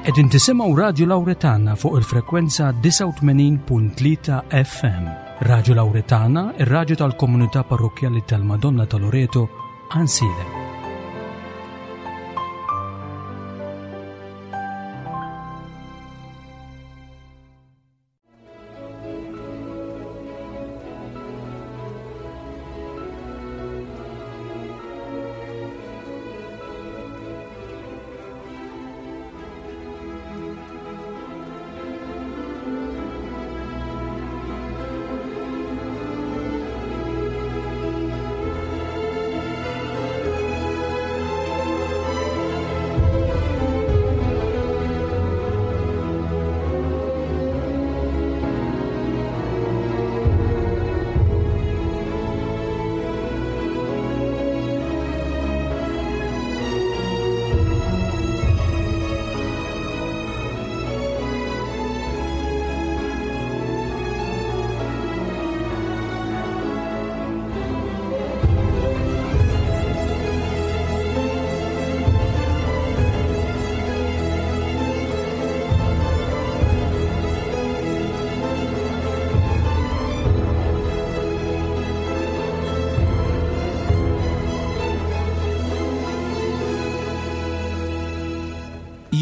Qegħdin tisimgħu Radju Lawretana fuq il-frekwenza 89.3 FM. Radju Lawretana, ir-radju tal-komunità parrokkjali tal-Madonna ta' Loreto, Għansielem.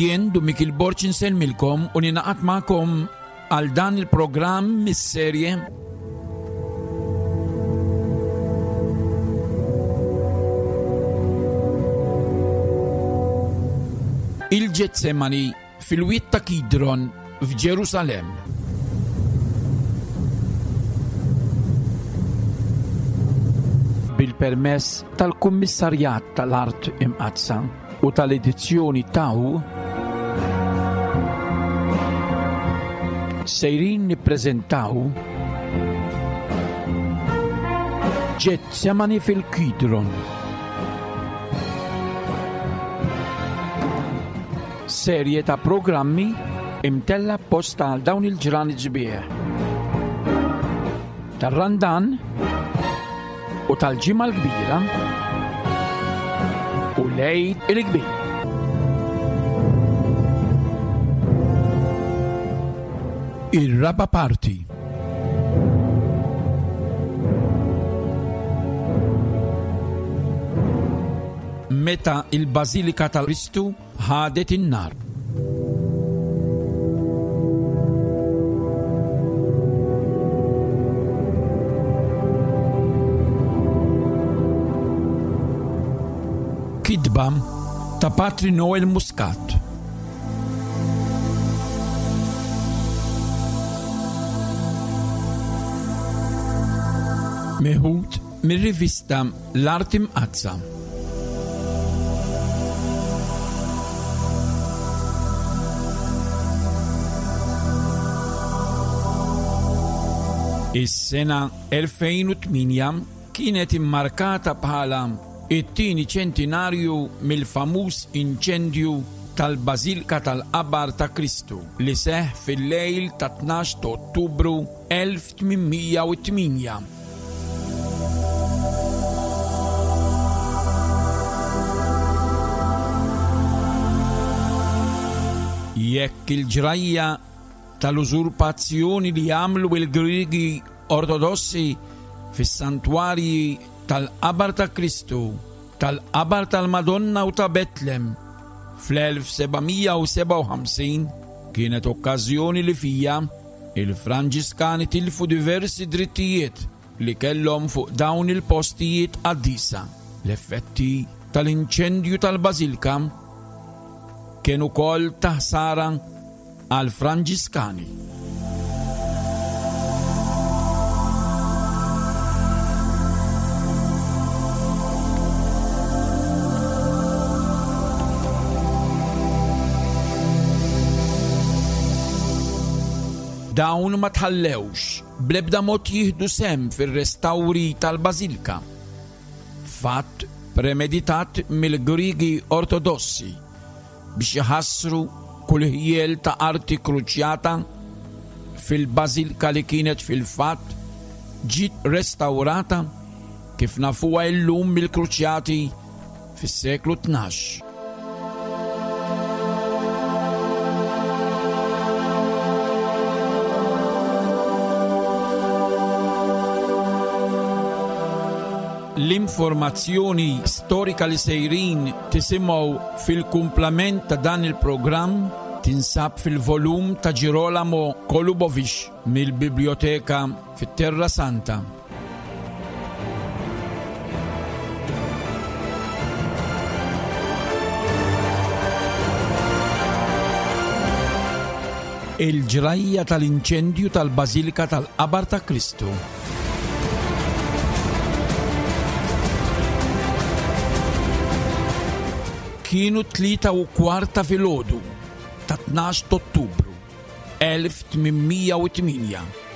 Jien Dun Mikil Borg insellmilkom u ninaqat magħkom għal dan il-programm mis-serje Il-Ġetsemani fil-Wied ta' Kidron f'Ġerusalemm. Bil-permess tal-Kummissarjat tal-Art Imqaddsa u tal-edizzjoni Tau, sejrin nippreżentaw Ġetsemani fil-Kidron. Serje ta' programmi imtella apposta għal dawn il-ġranet sbieħ. Tar-Randan u tal-Ġimgħa l-Kbira u l-Għid il-Kbir. Ir-raba' parti. Meta il-Bażilika tal-Kristu ħadet in-nar. Kitba ta' Patri Noel Muscat. Meħud mir-rivista L-Art Imqaddsa. Is-sena 2008 kienet immarkata bħala it-tieni ċentinarju mill-famuż inċendju tal-Bażilka tal-Qabar ta' Kristu li seħħ fil-lejl tat-tnax ta' Ottubru 1808. Jekk il-ġrajja tal-użurpazzjoni li għamlu il-Griegi Ortodossi fis-santwarji tal-Qabar ta' Kristu, tal-Qabar tal-Madonna u ta' Betlem fl-1757 kienet okkażjoni li fija Il-Franġiskani tilfu diversi drittijiet li kellhom fuq dawn il-postijiet qaddisa. L-effetti tal-inċendju tal-bażilka kien ukoll ta' ħsara għall-Franġiskani. Dawn ma tħallewx bl-ebda mod jieħdu sehem fir-restawri tal-bażilka, fatt premeditat mill-Griegi Ortodossi biex iħassru kull ħjiel ta' arti kruċjata fil-bażilka li kienet fil-fatt ġiet restawrata kif nafuha illum mill-Kruċjati fis-seklu 12. L-informazzjoni storika li sejrin tisimgħu fil-kumplament ta' dan il-programm tinsab fil-volum ta' Girolamo Kolubovic mill-Biblioteka fit-Terra Santa. Il-ġrajja tal-inċendju tal-Bażilika tal-Qabar ta' Kristu. Kienu 3:15 ta' filgħodu ta' 12 Ottubru 1808.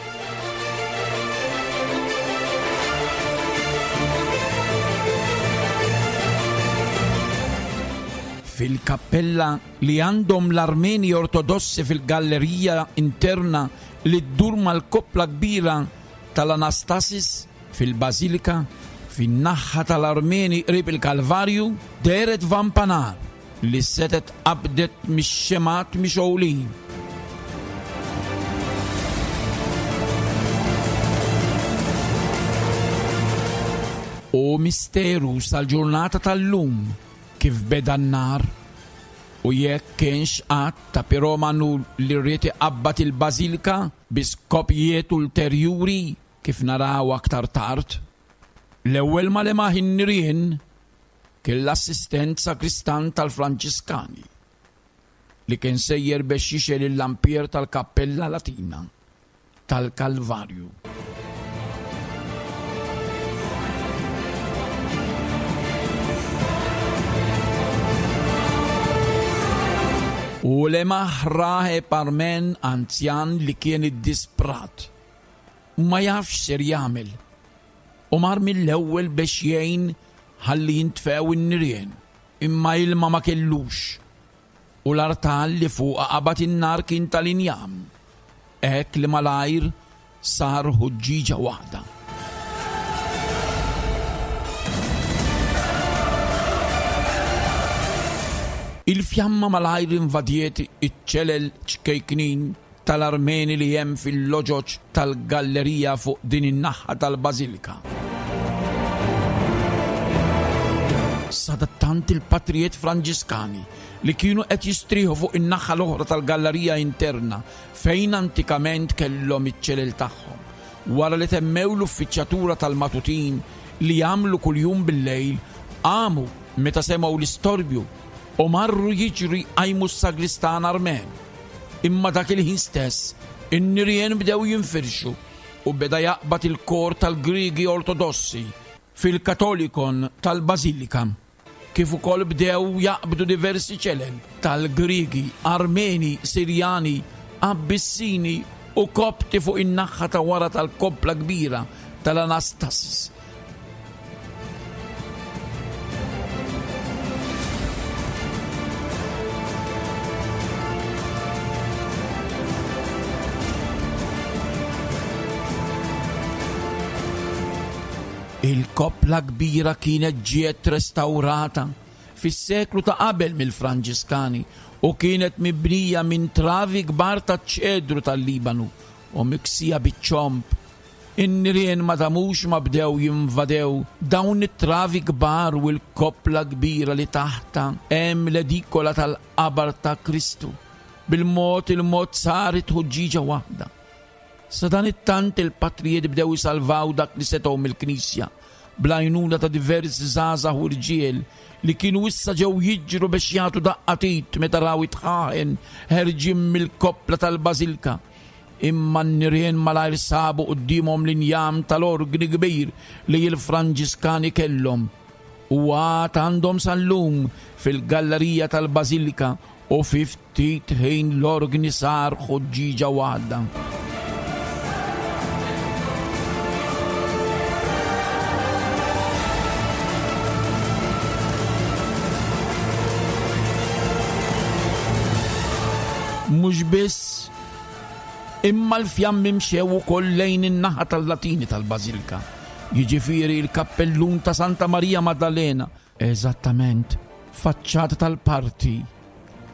Fil-kappella li għandhom l-Armeni Ortodossi fil-gallerija interna li ddur mal-koppla kbira tal-Anastasis fil-Bażilika, fin-naħha tal-Armeni qrib il-Kalvarju, dehret vampa nar li setgħet qabdet mix-xemgħat mixgħulin. Hu misteru sal-ġurnata tal-lum kif beda n-nar u jekk kienx att ta' piromanu li ried iqabbad il-bażilika bi skopijiet ulterjuri kif naraw aktar tard. L-ewwel ma lemaħ in-nirien kien l-assistent sagristan tal-Franġiskani li kien sejjer bex jixgħel il-lampier tal-kappella Latina tal-Kalvarju. U lemaħ raħeb Armen anzjan li kien iddisprat u ma jafx x'ser jagħmel u mar mill-ewwel bex jgħin ħalli jintfew in-nirien, imma ilma ma kellux, u l-artal li fuqha qabad in-nar kien tal-injam, hekk li malajr sar ħuġġieġa waħda. Il-fjamma malajr invadiet iċ-ċelel ċkejknin tal-Armeni li hemm fil-loġoġ tal-gallerija fuq din in-naħa tal-bażilika. Sadattant il-patrijiet Franġiskani li kienu qed jistrieħu fuq in-naħa l-oħra tal-gallerija interna fejn antikament kellhom iċ-ċelel tagħhom, wara li temmew l-uffiċjatura tal-matutin li jagħmlu kuljum bil-lejl, qamu meta semgħu l-istorbju u marru jiġru jqajmu s-sagristan Armen. Imma dak il-ħin stess, in-nirien bdew jinfirxu u beda jaqbad il-kor tal-Griegi Ortodossi fil-Katolikon tal-Bażilika, kif ukoll bdew jaqbdu diversi ċelel tal-Griegi, Armeni, Sirjani, Abbissini u Kopti fuq in-naħha ta' wara tal-koppla kbira tal-Anastasis. Il-koppla kbira kienet ġiet restawrata fis-seklu ta' qabel mill-Franġiskani u kienet mibnija minn travi kbar taċ-ċedru tal-Libanu u miksija biċ-ċomb. In-nirien ma damux ma bdew jinvadew dawn it-travi kbar u l-koppla kbira li taħtha hemm l-edikola tal-qabar ta' Kristu. Bil-mod il-mod saret ħuġġieġa waħda. Sadanittant il-patrijiet bdew isalvaw dak li setgħu mill-knisja bl-għajnuna ta' diversi żgħażagħ u rġiel li kienu issa ġew jiġru biex jagħtu daqqa t'id meta raw it-dħaħen ħerġin mill-koppla tal-bażilka. Imma n-nirien malajr sabu quddiemhom l-injam tal-orgni kbir li l-Franġiskani kellhom u għad għandhom sal-lum fil-gallerija tal-bażilika u fi ftit ħin l-orgni sar ħuġġieġa waħda. Mhux biss Imma l-fjammi mxew ukoll lejn in-naħa tal-Latini tal-Bażilka, jiġifieri l-kappellun ta' Santa Marija Maddalena, eżattament faċċata tal-parti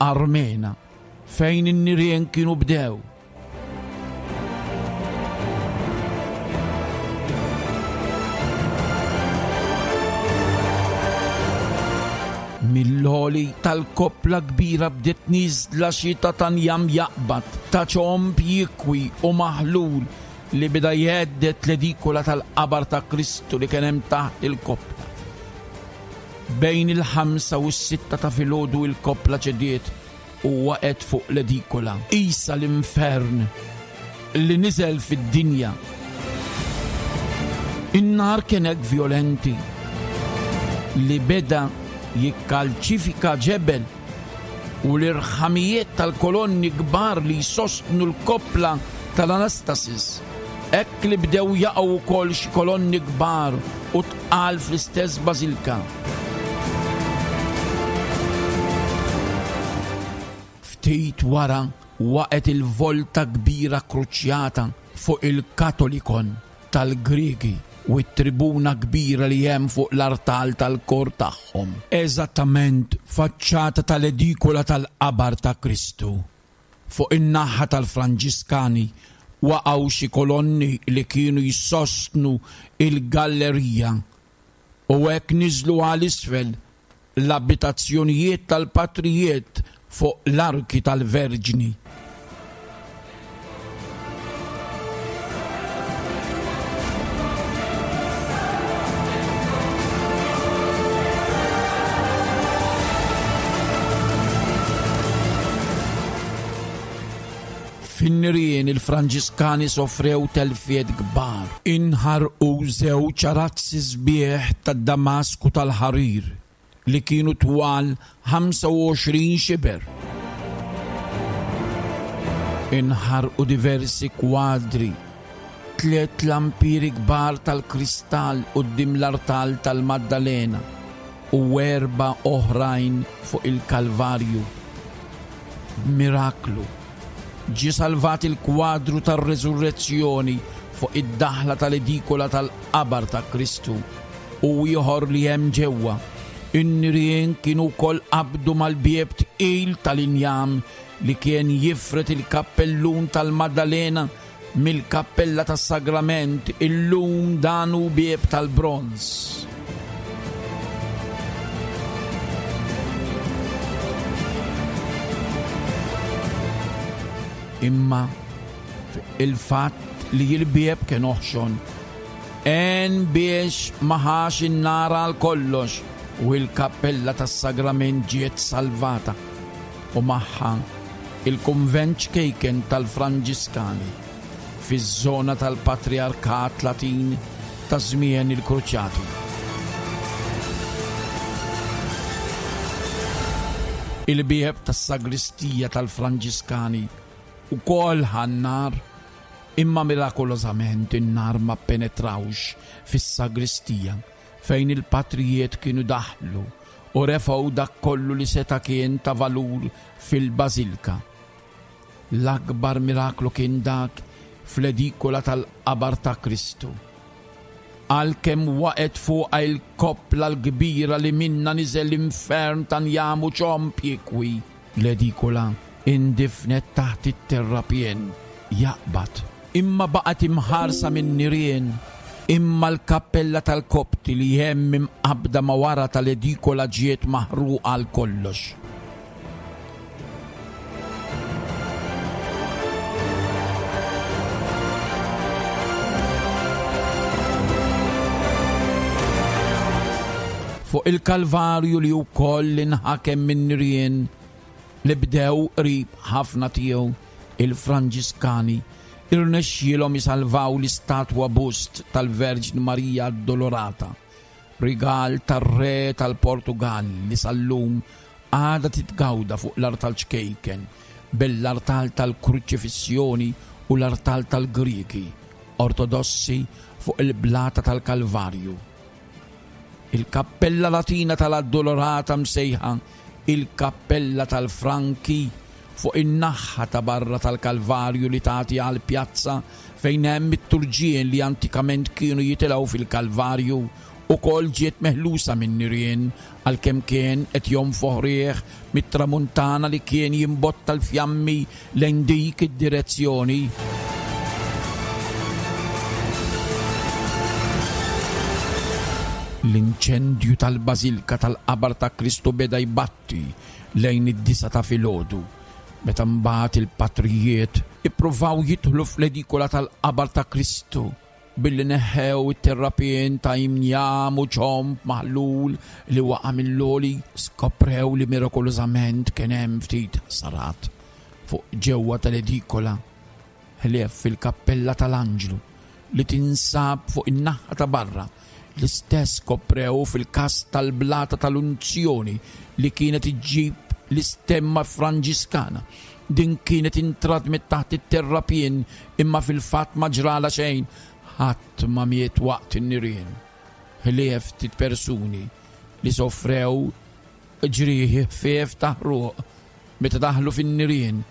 Armena fejn in-nirien kienu bdew. Mill-għoli tal-koppla kbira bdiet nieżla xita ta' njam jaqbad, ta' ċomb jikwi u maħlul li beda jhedded l-edikola tal-qabar ta' Kristu li kien hemm taħt il-koppla. Bejn il-ħamsa u s-sitta ta' filgħodu il-koppla ċediet u waqgħet fuq l-edikola. Qisha l-infern li niżel fid-dinja. In-nar kien hekk vjolenti li beda jikkalċifika ġebel u l-irħamijiet tal-kolonni kbar li jsostnu l-koppla tal-Anastasis. Hekk li bdew jaqgħu wkoll xi kolonni kbar u tqal fl-istess bażilka. Ftit wara waqgħet il-volta kbira kruċjata fuq il-Katolikon tal-Griegi u t-tribuna kbira li hemm fuq l-artal tal-kor tagħhom. Eżattament faċċata tal-edikola tal-qabar ta' Kristu. Fuq in-naħa tal-Franġiskani waqgħu xi kolonni li kienu jsostnu l-gallerija u hekk niżlu għal isfel l-abitazzjonijiet tal-patrijiet fuq l-Arki tal-Verġni. Fin-nirien il-Franġiskani sofrew telfiet kbar. Inħarqu żewġ arazzi sbieħ tad-Damask u tal-ħarir li kienu twal 25 xiber. Inħarqu diversi kwadri, tliet lampieri kbar tal-kristall quddiem l-artal tal-Maddalena u erba' oħrajn fuq il-Kalvarju. B'miraklu, ġie salvat il-kwadru tar-Resurrezzjoni fuq id-daħla tal-edikola tal-qabar ta' Kristu u ieħor li hemm ġewwa. In-nirien kienu wkoll qabdu mal-bieb tqil tal-injam li kien jifred il-kappellun tal-Maddalena mill-kappella tas-Sagrament, illum dan hu bieb tal-bronż. Imma il-fatt li l-bieb kien oħxon għen biex ma ħax in-nar għal kollox u l-kappella tas-Sagrament ġiet salvata u magħha il-kunvent ċkejken tal-Franġiskani fiż-żona tal-Patrijarkat Latin ta' żmien il-Kruċjati. Il-bieb tas-sagristija tal-Franġiskani wkoll ħa n-nar, imma mirakolożament in-nar ma ppenetrawx fis-sagristija fejn il-patrijiet kienu daħlu u refgħu dak kollu li seta' kien ta' valur fil-bażilka. L-akbar miraklu kien dak fl-edikola tal-qabar ta' Kristu. Għalkemm waqgħet fuqha il-koppla l-kbira li minnha niżel l-infern ta' njam u ċomb jikwi, l-edikola indifnet taħt it-terrapien jaqbad. Imma baqgħet imħarsa min-nirien. Imma l-kappella tal-Kopti li hemm imqabbda ma' wara tal-edikola ġiet maħruqa għal kollox. Fuq il-Kalvarju li wkoll inħakem min-nirien li bdew qrib ħafna tiegħu, il-Franġiskani irnexxielhom isalvaw l-istatwa bust tal-Verġni Marija Addolorata, rigal tar-Re tal-Portugall li sal-lum għadha titgawda fuq l-artal ċkejken bejn l-artal tal-Kruċifissjoni u l-artal tal-Griegi Ortodossi fuq il-Blata tal-Kalvarju. Il-kappella Latina tal-Addolorata msejħa il-Kappella tal-Franki fuq in-naħha ta' barra tal-Kalvarju li tagħti għall-pjazza fejn hemm it-turġien li antikament kienu jitilgħu fil-Kalvarju ukoll ġiet meħlusa min-nirien għalkemm kien qed jonfoħ riħ mit-tramuntana li kien jimbotta l-fjammi lejn dik id-direzzjoni. L-inċendju tal-Bażilka tal-Qabar ta' Kristu beda jbatti lejn id-disgħa ta' filgħodu, meta mbagħad il-patrijiet ippruvaw jidħlu fl-edikola tal-Qabar ta' Kristu billi neħħew it-terrapien ta' imjam u ċomb maħlul li waqa' mill-għoli, skoprew li mirakolożament kien hemm ftit ħsarat fuq ġewwa tal-edikola. ħlief fil-kappella tal-Anġlu li tinsab fuq in-naħa ta' barra, l-istess skoprew fil-każ tal-blata tal-unzjoni li kienet iġġib l-istemma Franġiskana. Din kienet intradmet taħt it-terrapien imma fil-fatt ma ġralha xejn, ħadd ma miet waqt in-nirien, ħlief ftit persuni li sofrew ġrieħi ħfief ta' ħruq meta daħlu fin-nirien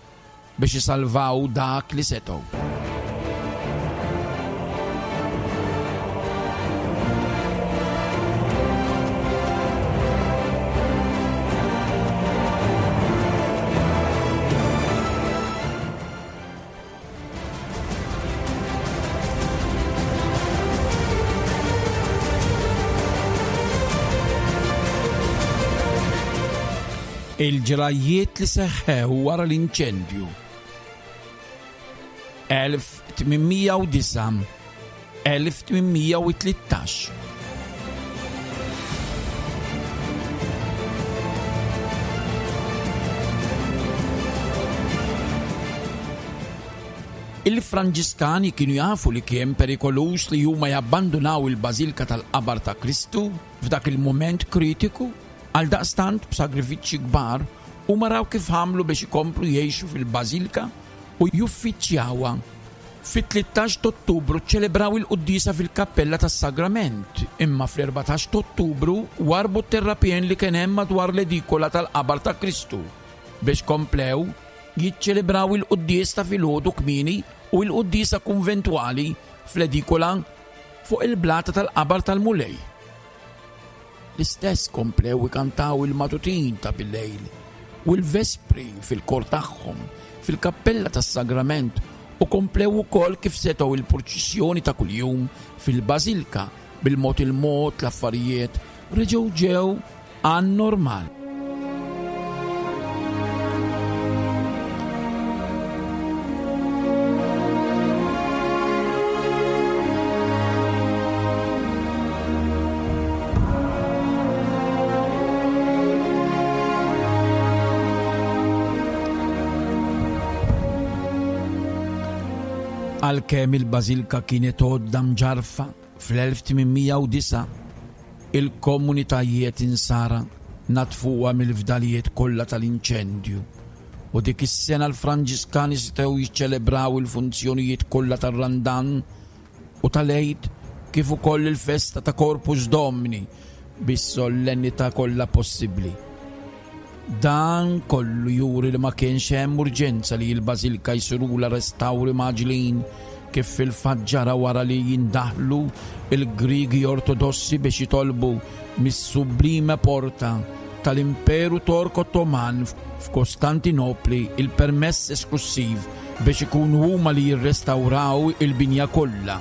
biex isalvaw dak li setgħu. Il-ġrajjiet li seħħew wara l-inċendju. 1809 1813 Il-Franġiskani kienu jafu li kien perikoluż li huma jabbandunaw il-Bażilka tal-Qabar ta' Kristu f'dak il-mument kritiku. Għaldaqstant, b'sagrifiċċji kbar, huma raw kif għamlu biex ikomplu jgħixu fil-bażilka u juffiċjawha. Fit-13 t'Ottubru ċċelebraw il-quddiesa fil-Kappella tas-Sagrament, imma fl-14 t'Ottubru warrbu t-terrapien li kien hemm madwar l-edikola tal-Qabar ta' Kristu biex komplew jiċċelebraw il-quddies ta' filgħodu kmieni u l-quddiesa kunventwali fl-edikola fuq il-blata tal-Qabar tal-Mulej. L-istess komplew ikantaw il-matutin ta' bil-lejl u l-vespri fil-kor tagħhom fil-kappella tas-Sagrament u komplew ukoll kif setgħu il-purċissjoni ta' kuljum fil-bażilka. Bil-mod il-mod l-affarijiet reġgħu ġew għan-normal. Għalkemm il-bażilka kienet għodda mġarrfa fl-1809, il-komunitajiet Insara naddfuha mill-fdalijiet kollha tal-inċendju u dik is-sena l-Franġiskani setgħu jiċċelebraw il-funzjonijiet kollha tar-Randan u tal-Għid kif ukoll il-festa ta' Corpus Domini bis-sollennità kollha possibbli. Dan kollu juri li ma kienx hemm urġenza li l-bażilka jsirulha restawri mgħaġġlin kif fil-fatt ġara wara li jindaħlu l-Griegi Ortodossi biex jitolbu mis-Sublime Porta tal-Imperu Tork Ottoman f'Kostantinopli il-permess esklussiv biex ikunu huma li jirrestawraw il-binja kollha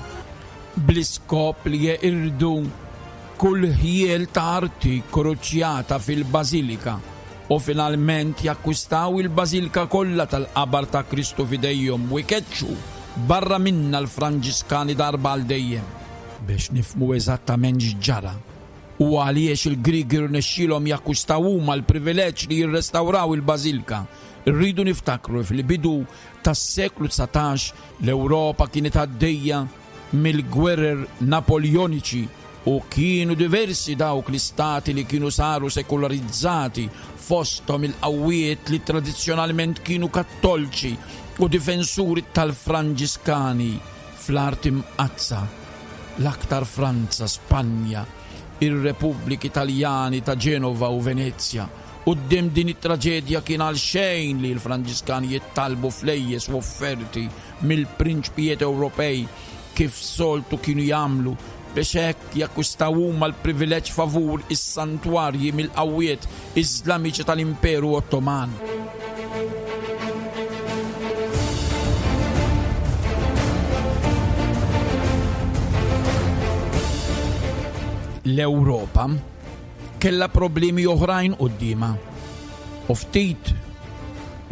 bl-iskop li jeqirdu kull ħjiel ta' arti kruċjata fil-bażilika u finalment jakkwistaw il-bażilika kollha tal-qabar ta' Kristu f'idejhom u jkeċċu barra minnha l-Franġiskani darba għal dejjem. Biex nifhmu eżattament x'ġara u għaliex il-Griegi rnexxielhom jakkwistaw huma l-privileġġ li jirrestawraw il-bażilika, irridu niftakru li fil-bidu tas-seklu 19 l-Ewropa kienet għaddejja mill-gwerer Napoljoniċi u kienu diversi dawk l-istati li kienu saru sekularizzati, fosthom il-qawwiet li tradizzjonalment kienu Kattolċi u difensuri tal-Franġiskani fl-Art Imqaddsa, l-aktar Franza, Spanja, ir-Repubbliki Taljani ta' Ġenova u Venezja. Quddiem din it-traġedja kien għalxejn li l-Franġiskani jittalbu flejjes u offerti mill-prinċpijiet Ewropej kif soltu kienu jagħmlu biex hekk jakkwistaw huma l-privileġġ favur is-santwarji mill-qawwiet Iżlamiċi tal-Imperu Ottoman. L-Ewropa kellha problemi oħrajn quddiemha u ftit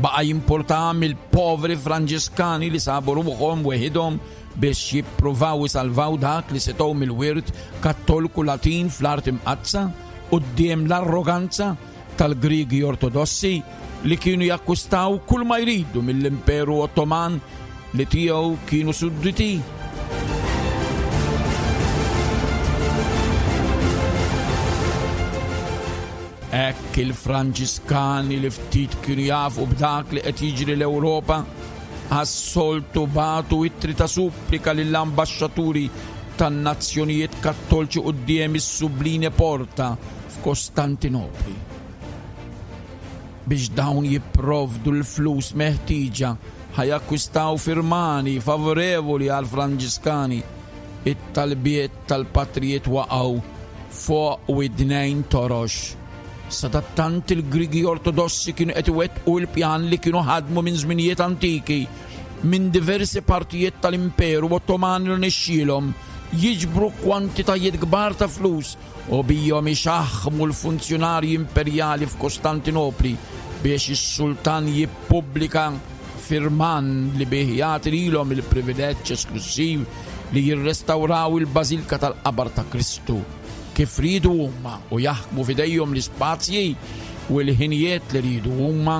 baqa' jimpurtaha mill-povri Franġiskani li sabu ruħhom weħidhom biex jippruvaw isalvaw dak li setgħu mill-wirt Kattolku Latin fl-Art Imqaddsa quddiem l-arroganza tal-Griegi Ortodossi li kienu jakkwistaw kull ma jridu mill-Imperu Ottoman li tiegħu kienu sudditi. Hekk il-Franġiskani li ftit kienu jafu b'dak li qed jiġri l-Ewropa għas-soltu bagħtu ittri ta' supplika lill-ambaxxaturi tan-nazzjonijiet Kattolċi quddiem is-Subline Porta f'Kostantinopli biex dawn jipprovdu l-flus meħtieġa ħa jakkwistaw firmani favorevoli għall-Franġiskani. It-talbiet tal-patrijiet waqgħu fuq widnejn torox. Sadattant il-Griegi Ortodossi kienu qed iwettqu l-pjan li kienu ħadmu minn żminijiet antiki minn diversi partijiet tal-Imperu Ottoman rnexxielhom jiġbru kwantitajiet kbar ta' flus u bihom ixaħħmu l-funzjonarji imperjali f'Kostantinopli biex is-sultan jippubblika firman li bih jagħti lilhom il-privileġġ esklussiv li jirrestawraw il-Bażilka tal-Qabar ta' Kristu kif riedu huma u jaħkmu f'idejhom l-ispazji u l-ħinijiet li riedu huma.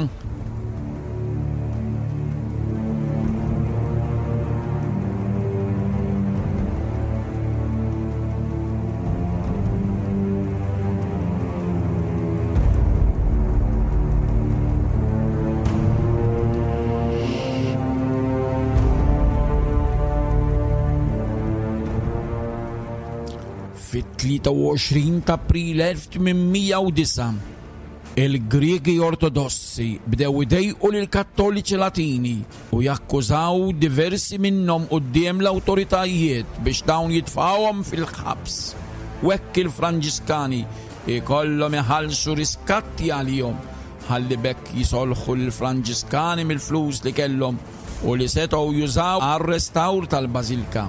Fit-23 ta' April 1809, il-Griegi Ortodossi bdew idejqu lill-Kattoliċi Latini u jakkużaw diversi minnhom quddiem l-awtoritajiet biex dawn jitfgħuhom fil-ħabs u hekk il-Franġiskani jkollhom iħallsu riskatti għalihom ħalli b'hekk jisolħu lill-Franġiskani mill-flus li kellhom u li setgħu jużaw għar-restawr tal-bażilka.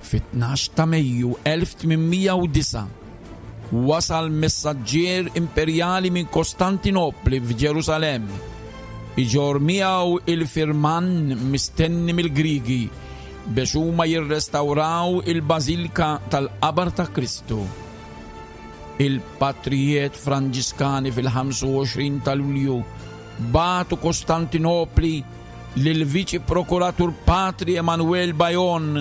Fit-12 ta' Mejju 1809 wasal messaġġier imperjali minn Kostantinopli f'Ġerusalemm iġorr miegħu il-firman mistenni mill-Griegi biex huma jirrestawraw il-Bażilka tal-Qabar ta' Kristu. Il-patrijiet Franġiskani fil-25 ta' Lulju bagħtu Kostantinopli lill-Viċi Prokuratur Patri Emanuel Bajon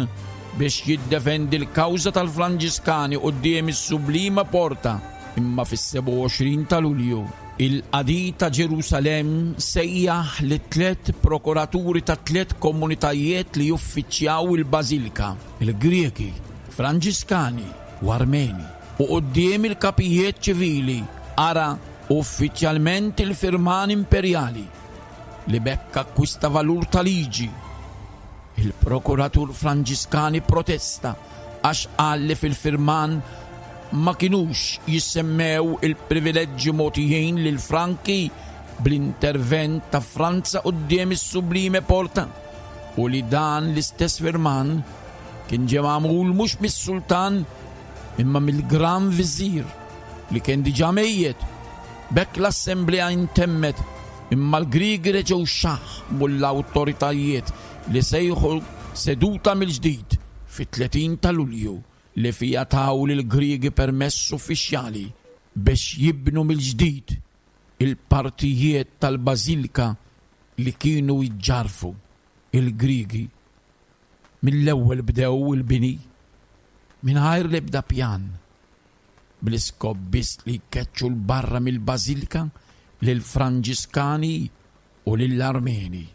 biex jiddefendi l-kawża tal-Franġiskani quddiem is-Sublima Porta, imma fis-27 ta' Lulju, il-Qadi ta' Ġerusalemm sejjaħ lit-tlett prokuraturi tat-tlett komunitajiet li juffiċjaw il-Bażilka, il-Griegi, Franġiskani u Armeni, u quddiem il-kapijiet ċivili qara uffiċjalment il-firman imperjali, li b'hekk akkwista valur ta' liġi. Il-prokuratur Franġiskani pprotesta għax qal li fil-firman ma kinux jissemmew il-privileġġi mogħtijin lill-Franki bl-intervent ta' Franza quddiem is-Sublime Porta u li dan l-istess firman kien ġie magħmul mhux mis-sultan imma mill-Gran Viżir li kien diġà mejjet. B'hekk l-assemblea intemmet imma l-Griegi reġgħu xaħħmu l-awtoritajiet li sejħu seduta mill-ġdid fit-30 ta' Lulju li fiha taw lill-Griegi permess uffiċjali biex jibnu mill-ġdid il-partijiet tal-bażilka li kienu jġarrfu. Il-Griegi mill-ewwel bdew il-bini mingħajr l-ebda pjan, bl-iskop biss li jkeċċu 'l barra mill-bażilka lill-Franġiskani u lill-Armeni.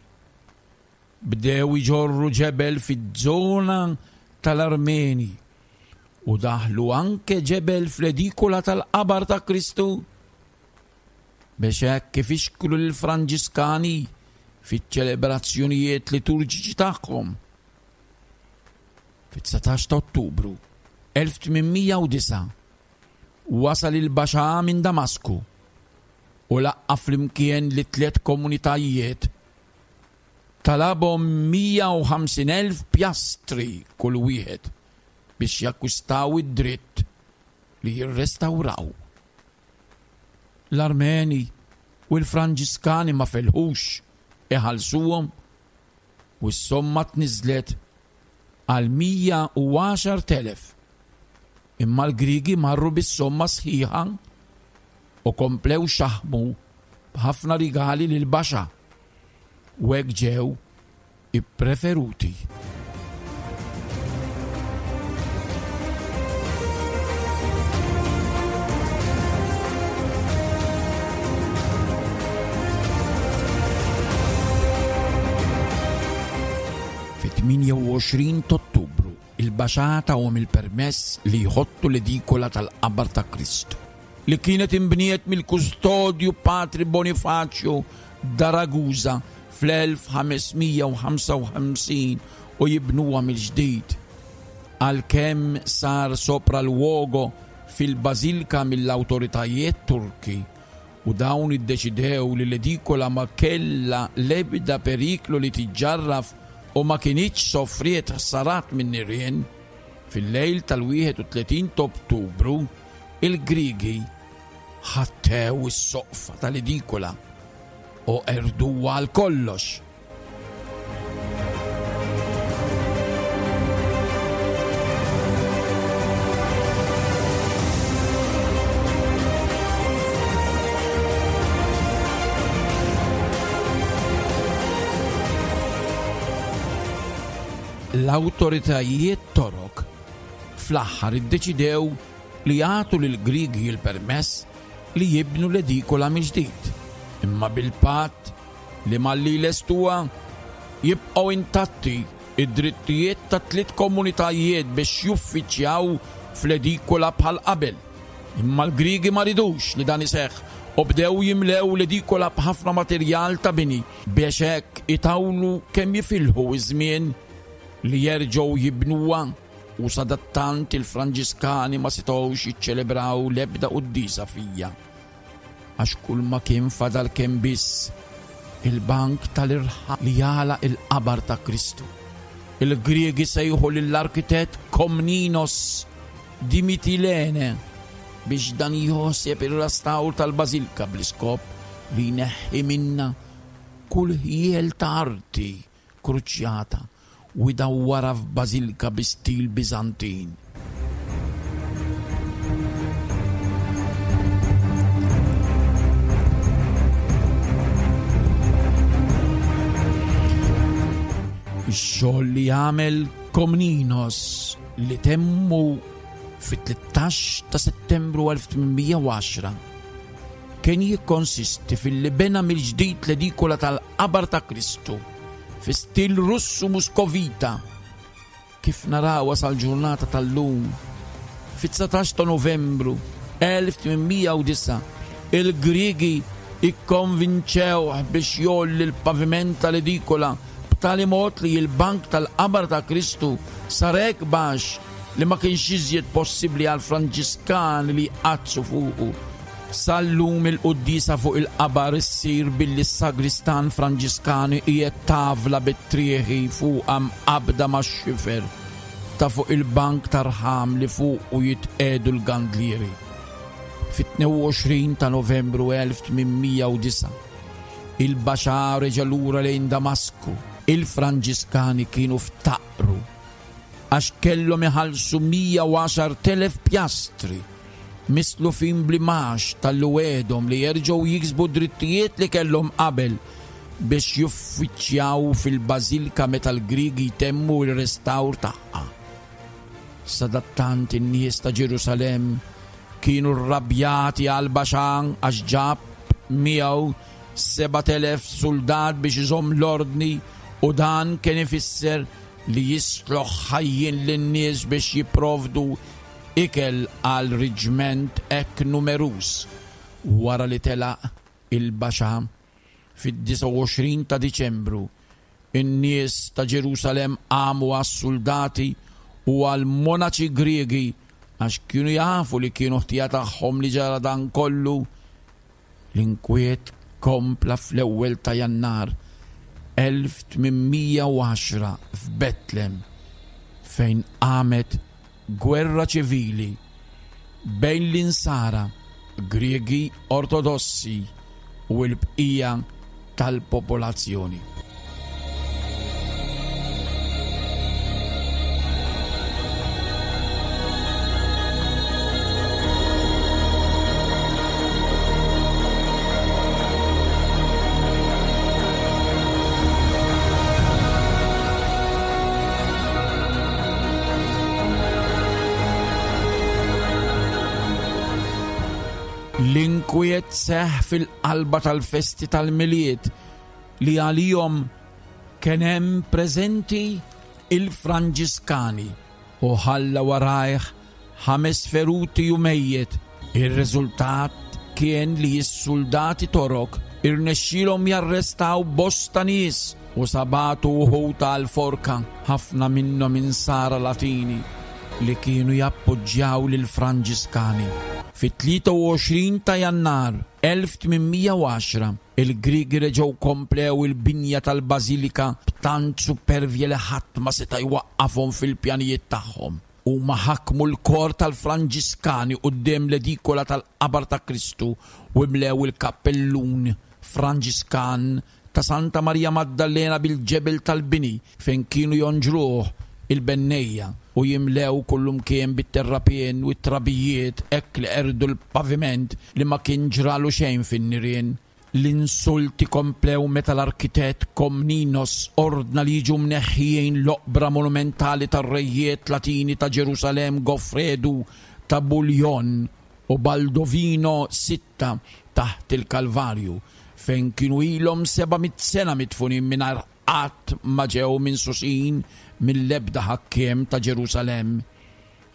Bdew iġorru ġebel fiż-żona tal-Armeni u daħlu anke ġebel fl-edikola tal-qabar ta' Kristu biex hekk ifixklu lill-Franġiskani fiċ-ċelebrazzjonijiet liturġiċi tagħhom. Fit-19 ta' Ottubru 1809, wasal il-Baxà minn Damasku u laqqa' flimkien lit-tliet komunitajiet. Talabhom 150,000 pjastri kull wieħed biex jakkwistaw id-dritt li jirrestawraw. L-Armeni u l-Franġiskani ma felħux iħallsuhom u s-somma tniżżlet għal 110,000. Imma l-Griegi marru bis-somma sħiħa u komplew xaħmu b'ħafna rigali lil Baxa u hekk ġew ippreferuti. Fit-28 t'Ottubru, il-Baxà tahom il-permess li jħottu l-edikola tal-qabar ta' Kristu, li kienet inbniet mill-kustodju Patri Bonifaċju da Ragusa fl-1555 u jibnuha mill-ġdid. Għalkemm sar sopralluogo fil-bażilka mill-awtoritajiet Turki u dawn iddeċidew li l-edikola ma kellha l-ebda periklu li tiġġarraf u ma kinitx sofriet ħsarat min-nirien, fil-lejl tal-31 t'Ottubru il-Griegi ħattew is-soqfa tal-edikola u qerduha għal kollox. L-awtoritajiet Torok fl-aħħar iddeċidew li jagħtu lill-Griegi l-permess li jibnu l-edikola mill-ġdid, imma bil-patt li malli jlestuha jibqgħu intatti d-drittijiet tat-tliet komunitajiet biex juffiċjaw fl-edikola bħal qabel. Imma l-Griegi ma ridux li dan iseħħ u bdew jimlew l-edikola b'ħafna materjal ta' bini biex hekk itawlu kemm jifilħu ż-żmien li jerġgħu jibnuha u sadattant il-Franġiskani ma setgħux jiċċelebraw l-ebda quddiesa fija għax kulma kien fadal kien biss il-bank tal-irħam li jagħlaq il-qabar ta' Kristu. Il-Griegi sejħu lill-arkitett Komninos di Mitilene biex dan jħosseb ir-rastawr tal-bażilka bl-iskop li jneħħi minnha kull ħjiel ta' arti kruċjata u jdawwarha f'bażilka bi stil Biżantin. Ix-xogħol li għamel Komninos li temmu fit-13 ta' Settembru 1810 kien jikkonsisti filli bena mill-ġdid l-edikola tal-qabar ta' Kristu fi stil Russu Muskovita kif narawha sal-ġurnata tal-lum. Fit-19 ta' Novembru 1809 il-Griegi ikkonvinċewh biex jgħolli l-paviment tal-edikola b'tali mod li l-bank tal-qabar ta' Kristu sar hekk baxx li ma kienx iżjed possibbli għall-Franġiskani li jqaddsu fuqu. Sal-lum il-quddiesa fuq il-qabar issir billi s-sagristan Franġiskan iqiegħed tavla bit-trieħi fuqha mqabbda max-xifer ta' fuq il-bank ta' rħam li fuqu jitqiegħdu l-gandlieri. Fit-22 ta' Novembru 1809, il-Baxà reġa' lura lejn Damasku. Il-Franġiskani kienu ftaqru għax kellhom iħallsu 110,000 pjastri mislufin bl-imgħax talli wegħedhom li jerġgħu jiksbu d-drittijiet li kellhom qabel biex juffiċjaw fil-bażilka meta l-Griegi jtemmu r-restawr tagħha. Sadattant in-nies ta' Ġerusalemm kienu rrabjati għal Baxan għax ġab miegħu 7,000 suldat biex iżomm l-ordni u dan kien ifisser li jisloħ ħajjin lin-nies biex jipprovdu ikel għal riġment hekk numeruż. Wara li telaq il-Baxà fid-29 ta' Diċembru, in-nies ta' Ġerusalemm qamu għas-suldati u għall-monaċi Griegi għax kienu jafu li kienu ħtija tagħhom li ġara dan kollu. L-inkwiet kompla fl-ewwel ta' Jannar 1810 f'Betlem fejn qamet gwerra ċivili bejn l-Insara Griegi Ortodossi u l-bqija tal-popolazzjoni. L-inkwiet seħħ fil-qalba tal-festi tal-Milied li għalihom kien hemm preżenti il-Franġiskani u ħalla warajh ħames feruti u mejjet. Ir-riżultat kien li s-suldati Torok irnexxielhom jarrestaw bosta nies u sabatu wħud għall-forka, ħafna minnhom Insara Latini li kienu jappoġġjaw lill-Franġiskani. Fit-23 ta' Jannar 1810, il-Griegi reġgħu komplew il-binja tal-bażilika b'tant supervja li ħadd ma seta' jwaqqafhom fil-pjanijiet tagħhom. Huma ħakmu l-kor tal-Franġiskani quddiem l-edikola tal-Qabar ta' Kristu u mlew il-kappellun Franġiskan ta' Santa Marija Maddalena bil-ġebel tal-bini fejn kienu jonġruh il-bennejja u jimlew kullumkien bit-terrapien u t-trabijiet hekk li qerdu l-paviment li ma kien ġralu xejn fin-nirien. L-insulti komplew meta l-arkitett Komninos ordna li jiġu mneħħijin l-oqbra monumentali tar-rejiet Latini ta' Ġerusalemm Goffredu ta' Bouillon u Baldovino Sitta taħt il-Kalvarju, fejn kienu ilhom 700 sena midfunin mingħajr qatt ma ġew minsusin mill-ebda ħakkiem ta' Ġerusalemm.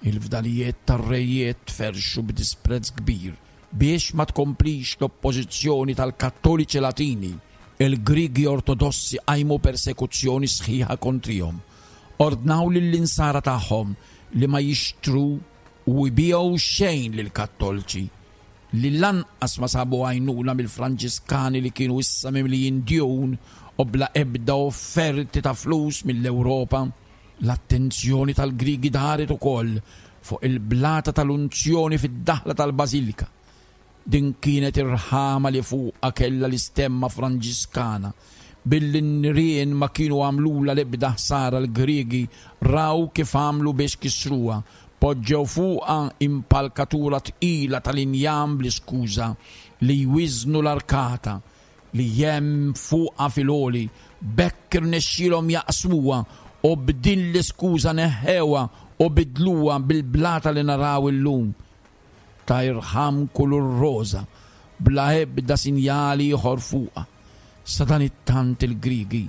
Il-fdalijiet tar-rejiet tferrxu b'disprezz kbir. Biex ma tkomplix l-oppożizzjoni tal-Kattoliċi Latini, il-Griegi Ortodossi qajmu persekuzzjoni sħiħa kontrihom. Ordnaw lill-Insara tagħhom li ma jixtru u jbigħu xejn lill-Kattolċi, li lanqas ma sabu għajnuna mill-Franġiskani li kienu issa mimlijin djun u bla ebda offerti ta' flus mill-Ewropa. L-attenzjoni tal-Griegi daret ukoll fuq il-blata tal-unzjoni fid-daħla tal-bażilika. Din kienet ir-rħama li fuqha kellha l-istemma Franġiskana. Billi n-nirien ma kienu għamlulha l-ebda ħsara l-Griegi raw kif għamlu biex kissruha, poġġew fuqha impalkatura tqila tal-injam bl-iskuża li jwiżnu l-arkata li hemm fuqha fil-għoli, b'hekk irnexxielhom jaqsmuha u b'din l-iskuża neħħewha u biddluha bil-blata li naraw illum ta' irħam kulur roża bla ebda sinjal ieħor fuqha. Sadanittant il-Griegi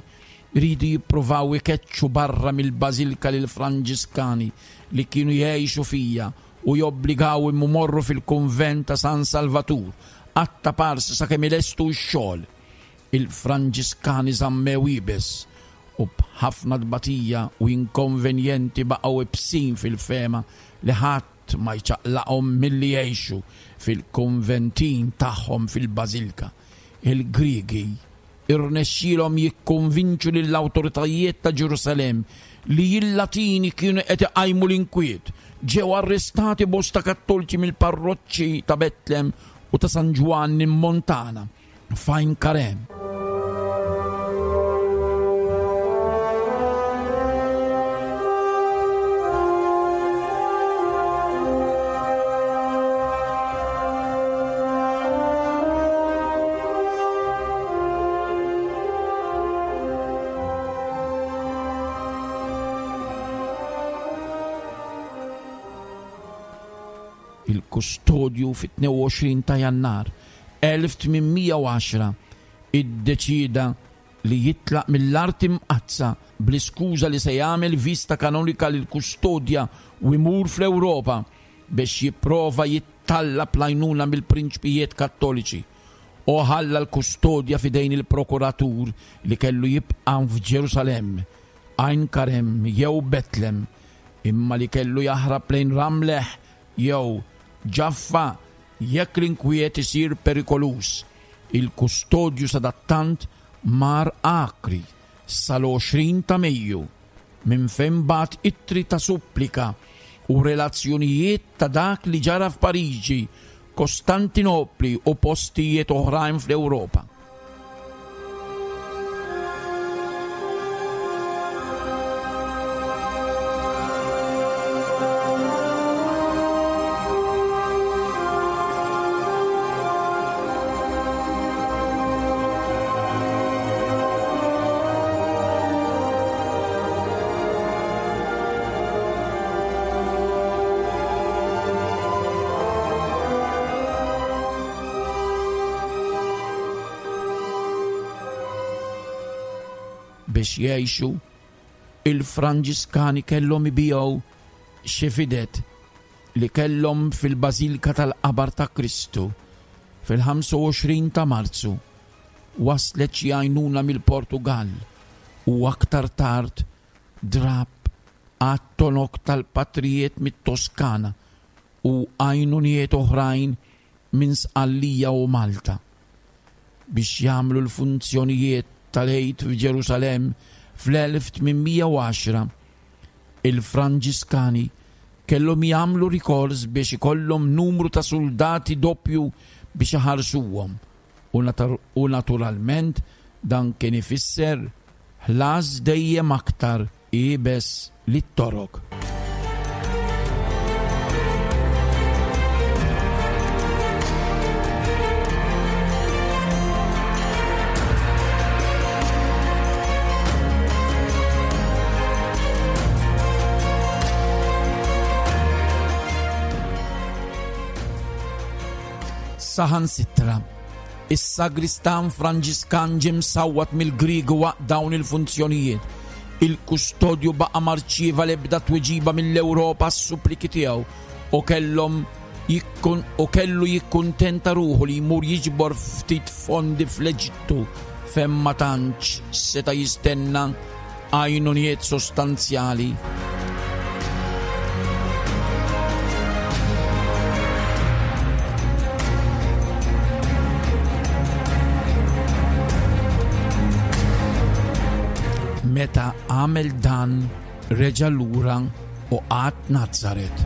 riedu jippruvaw ikeċċu barra mill-bażilka lill-Franġiskani li kienu jgħixu fiha u jobbligawhom imorru fil-kunvent ta' San Salvatur qatta' parsi sakemm ilestu x-xogħol. Il-Franġiskani żammew iebes u b'ħafna tbatija u inkonvenjenti baqgħu ibsin fil-fehma li ħadd ma jċaqlaqhom milli jgħixu fil-kunventin tagħhom fil-bażilka. Il-Griegi irnexxielhom jikkonvinċu lill-awtoritajiet ta' Ġerusalemm li l-Latini kienu qed iqajmu l-inkwiet. Ġew arrestati bosta Kattolċi mill-parroċċi ta' Betlem u ta' San Ġwann in Montana, f'Għajn Karem. Il-kustodju fit-22 ta' Jannar 1810 iddeċieda li jitlaq mill-Art Imqaddsa bl-iskuża li se jagħmel viżta kanonika lill-kustodja u jmur fl-Ewropa biex jipprova jittallab l-għajnuna mill-prinċpijiet Kattoliċi, u ħalla l-kustodja f'idejn il-prokuratur li kellu jibqa' f'Ġerusalemm, Għajn Karem jew Betlem, imma li kellu jaħrab lejn Ramleh. jew Ġaffa jekk l-inkwiet isir perikoluż. Il-kustodju sadattant mar Acri sal-20 ta' Mejju, minn fejn bagħat ittri ta' supplika u relazzjonijiet ta' dak li ġara f'Pariġi, Kostantinopli u postijiet oħrajn fl-Ewropa. Biex jgħixu, il-Franġiskani kellhom ibigħu xi fidet li kellhom fil-Bażilka tal-Qabar ta' Kristu fil-25 ta' Marzu waslet xi għajnuna mill-Portugall u aktar tard drapp għat-tonok tal-patrijiet mit-Toskana u għajnuniet oħrajn minn Sqallija u Malta biex jagħmlu l-funzjonijiet tal-Għid f'Ġerusalemm fl-1810. Il-Franġiskani kellhom jagħmlu rikors biex ikollhom numru ta' suldati doppju biex iħarsuhom u naturalment dan kien ifisser ħlas dejjem aktar iebes lit-Torok. Saħansitra, is-sagristan Franġiskan ġie msawwat mill-Griegi waqt dawn il-funzjonijiet. Il-kustodju baqa' ma rċieva l-ebda tweġiba mill-Ewropa għas-suppliki tiegħu u kellhom u kellu jikkuntenta ruħu li jmur jiġbor ftit fondi fl-Eġittu fejn ma tantx seta' jistenna għajnuniet sostanzjali. Meta għamel dan reġa' lura u qagħad Nazaret.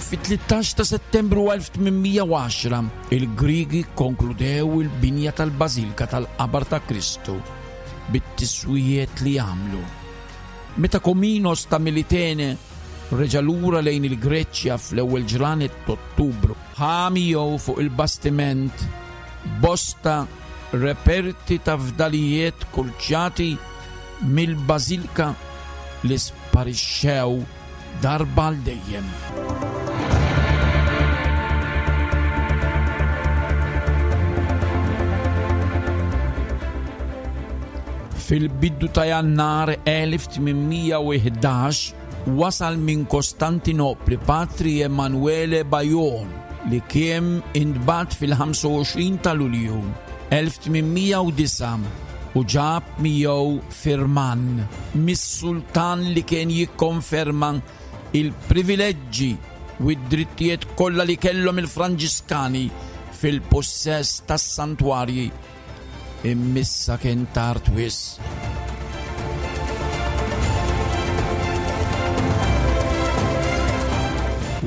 Fit-13 ta' Settembru 1810, il-Griegi kkonkludew il-binja tal-Bażilka tal-Qabar ta' Kristu bit-tiswijiet li għamlu. Meta Kominos ta' Militene reġa' lura lejn il-Greċja fl-ewwel ġranet t'Ottubru, ħa miegħu fuq il-bastiment bosta reperti ta' fdalijiet kurċjati mill-bażilka li sparixxew darba għal dejjem. Fil-bidu ta' Jannar 1811 wasal minn Kostantinopli Patri Emanuele Bajon li kien intbagħat fil-25 ta' Lulju 1809 u ġab miegħu firman mis-sultan li kien jikkonferma il-privileġġi u d-drittijiet kollha li kellhom il-Franġiskani fil-pussess tas-santwarji. Immissa kien tard wisq.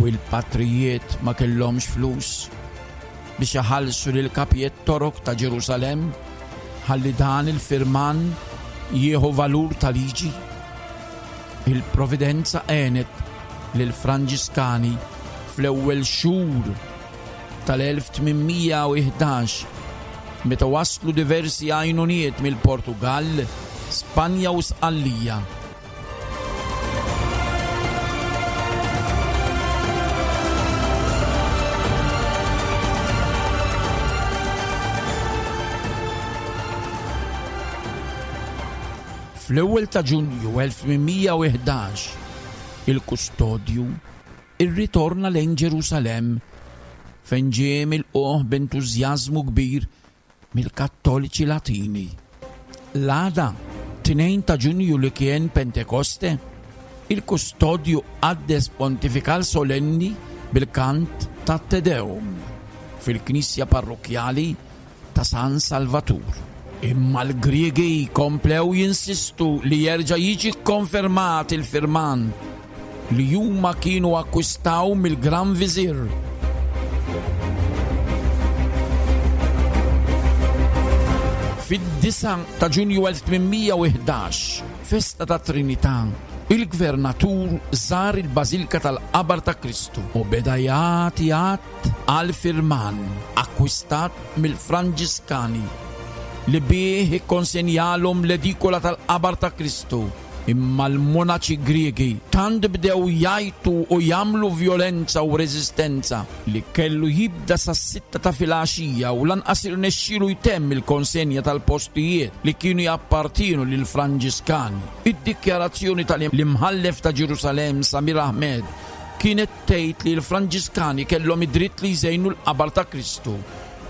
U l-patrijiet ma kellhomx flus biex iħallsu lil kapijiet Torok ta' Ġerusalemm ħalli dan il-firman jieħu valur ta' liġi. Il-Providenza għenet lill-Franġiskani fl-ewwel xhur tal-1811 meta waslu diversi għajnuniet mill-Portugall, Spanja u Sqallija. Fl-ewwel ta' Ġunju 1811, il-kustodju irritorna lejn Ġerusalemm fejn ġie milqugħ b'entużjażmu kbir mill-Kattoliċi Latini. L-għada, Mat-2 ta' Ġunju li kien Pentekoste, il-kustodju qaddes pontifikal solenni bil-kant tat-Te Deum fil-knisja parrokkjali ta' San Salvatur. Imma l-Griegi komplew jinsistu li jerġa' jiġi kkonfermat il-firman li huma kienu akkwistaw mill-Gran Viżir. Fid-9 ta' Ġunju 1811, festa tat-Trinità, il-Gvernatur żar il-Bażilka tal-Qabar ta' Kristu u beda jagħti att għal firman akkwistat mill-Franġiskani li bih ikkonsenjalhom l-edikola tal-Qabar ta' Kristu. Imma l-monaċi Griegi tant bdew jgħajtu u jagħmlu vjolenza u reżistenza li kellu jibda sas-sitta ta' filgħaxija u lanqas irnexxielu jtemm il-konsenja tal-postijiet li kienu jappartienu lill-Franġiskani. Id-dikjarazzjoni tal-Imħallef ta' Ġerusalemm Samir Ahmed kienet tgħid li l-Franġiskani kellhom id-dritt li jżejnu l-qabar ta' Kristu,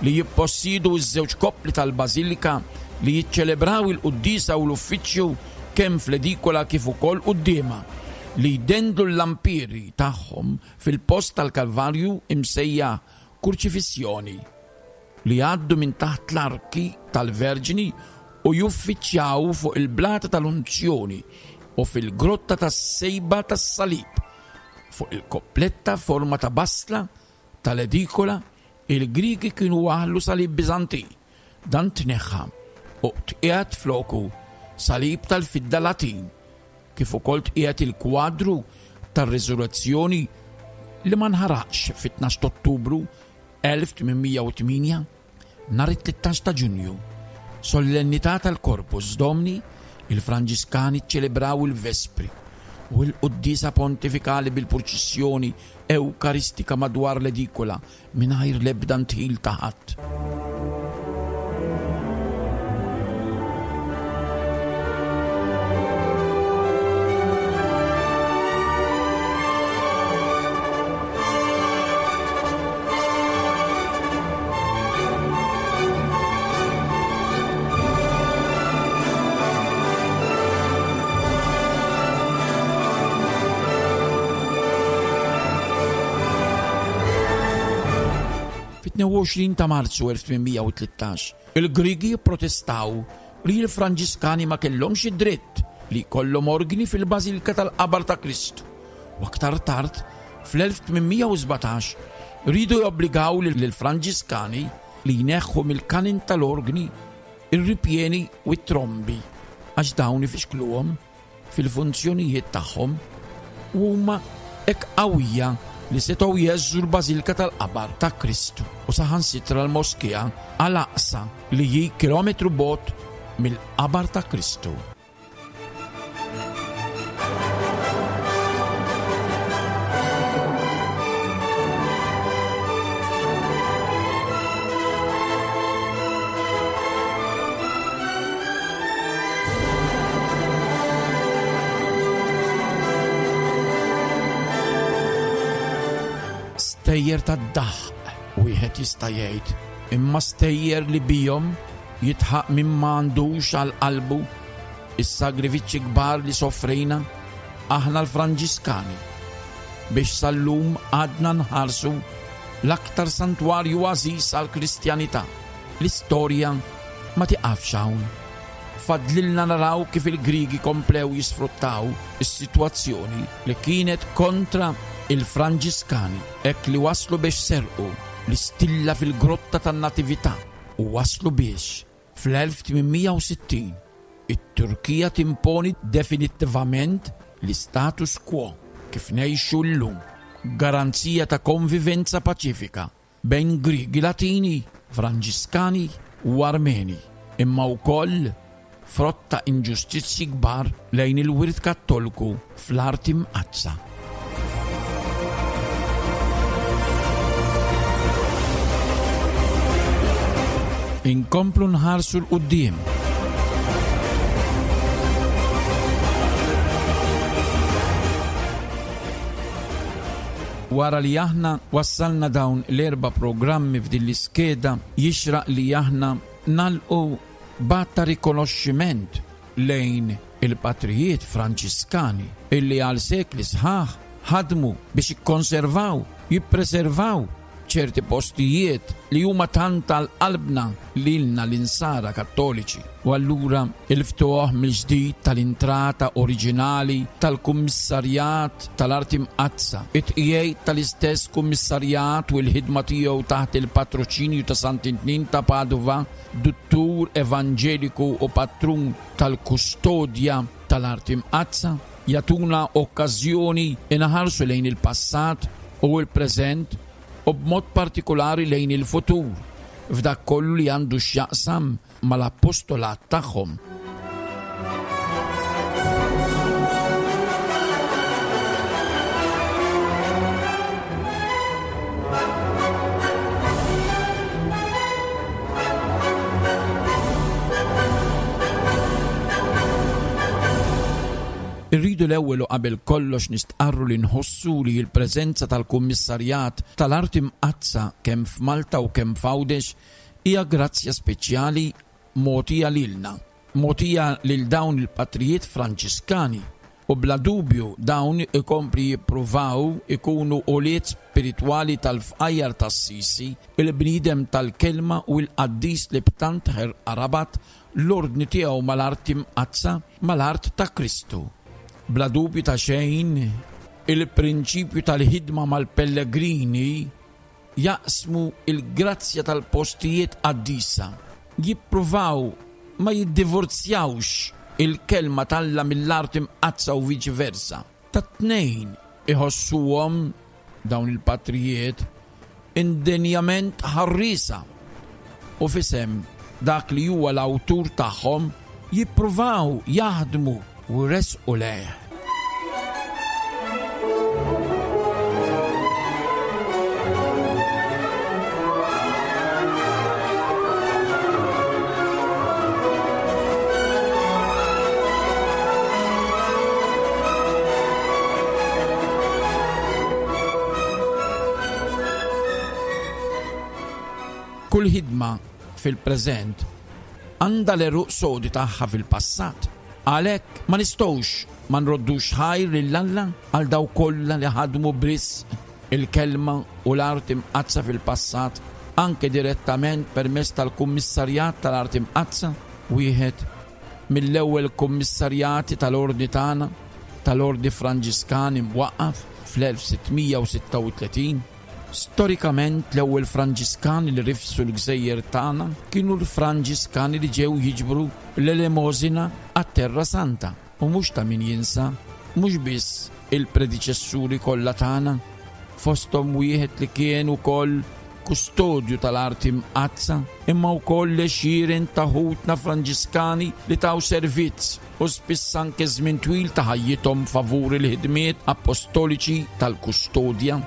li jippossiedu ż-żewġ koppli tal-bażilika, li jiċċelebraw il-quddiesa u l-uffiċċju kemm fl-edikola kif ukoll quddiemha, li jdendlu l-lampieri tagħhom fil-post tal-Kalvarju imsejjaħ Kurċifissjoni, li jgħaddu minn taħt l-arki tal-Verġni u juffiċjaw fuq il-Blata tal-Unzjoni u fil-Grotta tas-Sejba tas-Salib, fuq il-koppletta forma ta' basla tal-edikola, il-Griegi kienu waħħlu salib Biżantin. Dan tneħħa u tqiegħed floku salib tal-fidda Latin, kif ukoll tqiegħed il-kwadru tar-Riżurrezzjoni li ma nħaraqx fit-12 t'Ottubru 1808. Nhar it-13 ta' Ġunju, Sollennità tal-Corpus Domini, il-Franġiskani ċċelebraw il-Vespri u l-Quddiesa Pontifikali bil-purċissjoni Ewkaristika madwar l-edikola mingħajr l-ebda ndħil ta' ħadd. Fit-22 ta' Marzu 1813, il-Griegi pprotestaw li l-Franġiskani ma kellhomx id-dritt li jkollhom orgni fil-Bażilka tal-Qabar ta' Kristu u aktar tard fl-1817 riedu jobbligaw lill-Franġiskani li jneħħu mill-kanin tal-orgni r-ripjeni u t-trombi għax dawn ifixkluhom fil-funzjonijiet tagħhom u huma hekk qawwija li setgħu jheżżu l-Bażilka tal-Qabar ta' Kristu u saħansitra l-Moskea Al-Aqsa li hi kilometru bogħod mill-Qabar ta' Kristu. Stejjer tad-daħq wieħed jista' jgħid, imma stejjer li bihom jidħaq min ma għandux għal qalbu is-sagrifiċċji kbar li soffrejna aħna l-Franġiskani biex sal-lum għadna nħarsu l-aktar santwarju għażiż għall-Kristjanità. L-istorja ma tiqafx hawn. Fadlilna naraw kif il-Griegi komplew jisfruttaw is-sitwazzjoni li kienet kontra il-Franġiskani hekk li waslu biex serqu l-istilla fil-Grotta tan-Natività u waslu biex, fl-1860, it-Turkija timponi definittivament l-istatus quo kif ngħixu llum, garanzija ta' konvivenza paċifika bejn Griegi Latini, Franġiskani u Armeni, imma wkoll frott ta' inġustizzji kbar lejn il-wirt Kattolku fl-Art Imqaddsa. Inkomplu nħarsu 'l quddiem. Wara li aħna wassalna dawn l-erba' programmi f'din l-iskeda, jixraq li aħna nagħlqu b'att ta' rikonoxximent. lejn il-patrijiet Franġiskani illi għal sekli sħaħ ħadmu biex jikkonservaw, jippreservaw ċerti postijiet li huma tant għal qalbna lilna l-insara Kattoliċi. U allura il-ftuħ mill-ġdid tal-intrata oriġinali tal-Kummissarjat tal-Arti Mqaddsa, it-tqiegħid tal-istess Kummissarjat u l-ħidma tiegħu taħt il-patroċinju ta' Sant'Intnin ta' Padova, Duttur Evanġeliku u Patrun tal-Kustodja tal-Arti Mqaddsa, jagħtuna okkażjoni inħarsu lejn il-passat u l-preżent u b'mod partikulari lejn il-futur f'dak kollu li għandu x'jaqsam mal-appostolat tagħhom. Irridu l-ewwel u qabel kollox nistqarru li nħossu li l-preżenza tal-Kummissarjat tal-Arti Mqaddsa kemm f'Malta u kemm f'Għawdex hija grazzja speċjali mogħtija lilna, mogħtija lil dawn il-patrijiet Franġiskani u bla dubju dawn ikompli jippruvaw ikunu ulied spiritwali tal-fqajjar t'Assisi, il-bniedem tal-kelma u l-qaddis li b'tant ħerqa rabat l-ordni tiegħu mal-art imqaddsa, mal-art ta' Kristu. Bla dubju ta' xejn, il-prinċipju tal-ħidma mal-pellegrini jaqsmu l-grazzja tal-postijiet qaddisa, jippruvaw ma jiddivorzjawx il-Kelma t'Alla mill-art imqaddsa u viċi versa. Tat-tnejn iħossuhom, dawn il-patrijiet, indenjament ħarriesa u f'isem dak li huwa l-awtur tagħhom jippruvaw jaħdmu u jressqu lejh. Kull ħidma fil-preżent għandha l-għeruq sodi tagħha fil-passat. Għalhekk ma nistgħux ma nroddux ħajr lil Alla għal dawk kollha li ħadmu b'risq il-Kelma u l-Art Imqaddsa fil-passat, anke direttament permezz tal-Kummissarjat tal-Art Imqaddsa, wieħed mill-ewwel kummissarjati tal-Ordni tagħna, tal-Ordni Franġiskan imwaqqaf fl-1636. Storikament l-ewwel Franġiskani li rifsu l-gżejjer tagħna kienu l-Franġiskani li ġew jiġbru l-elemosina għat-Terra Santa. U mhux ta' min jinsa, mhux biss il-prediċessuri kollha tagħna, fosthom wieħed li kien ukoll kustodju tal-Arti Mqaddsa, imma wkoll l-għexieren ta' ħutna Franġiskani li taw servizz u spiss anke żmien twil ta' ħajjithom favur il-ħidmiet appostoliċi tal-kustodja.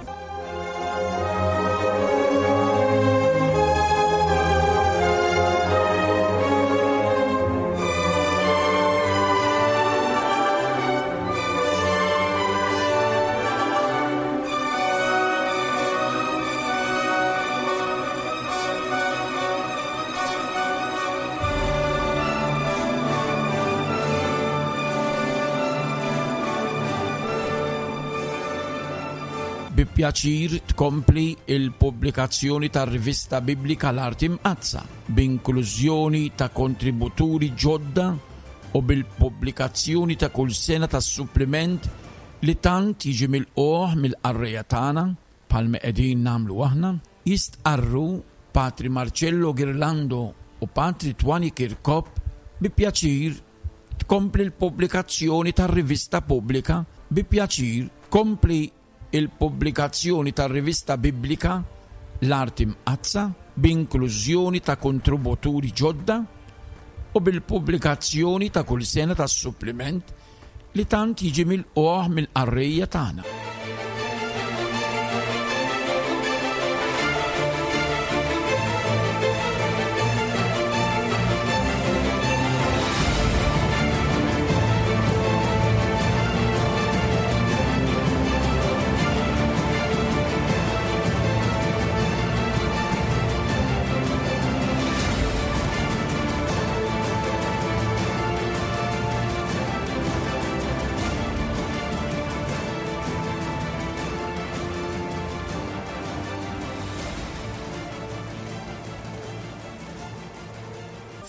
Bi pjaċir tkompli l-pubblikazzjoni tar-rivista Biblika L-Art Imqaddsa, b'inklużjoni ta' kontributuri ġodda u bil-pubblikazzjoni ta' kull sena tas-suppliment li tant jiġi milqugħ mill-qarrejja tagħna, bħalma qegħdin nagħmlu aħna, jistqarru Patri Marcello Ghirlando u Patri Twani Kirkop. Bi pjaċir tkompli l-pubblikazzjoni tar-rivista pubblika Bi pjaċir tkompli l-pubblikazzjoni tar-rivista Biblika L-Art Imqaddsa b'inklużjoni ta' kontributuri ġodda u bil-pubblikazzjoni ta' kull sena tas-suppliment li tant jiġi milqugħ mill-qarrejja tagħna.